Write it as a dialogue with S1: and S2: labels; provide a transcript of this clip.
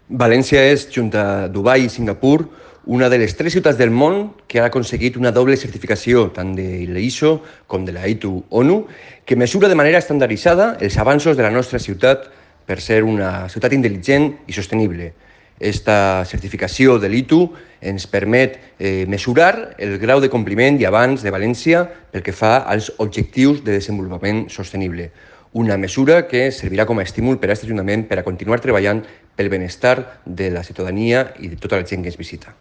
S1: València és, junt a Dubai i Singapur, una de les 3 ciutats del món que ha aconseguit una doble certificació, tant de l'ISO com de la ITU ONU, que mesura de manera estandarditzada els avanços de la nostra ciutat per ser una ciutat intel·ligent i sostenible. Esta certificació de l'ITU ens permet mesurar el grau de compliment i avanç de València pel que fa als objectius de desenvolupament sostenible. Una mesura que servirà com a estímul per a aquest Ajuntament per a continuar treballant pel benestar de la ciutadania i de tota la gent que ens visita.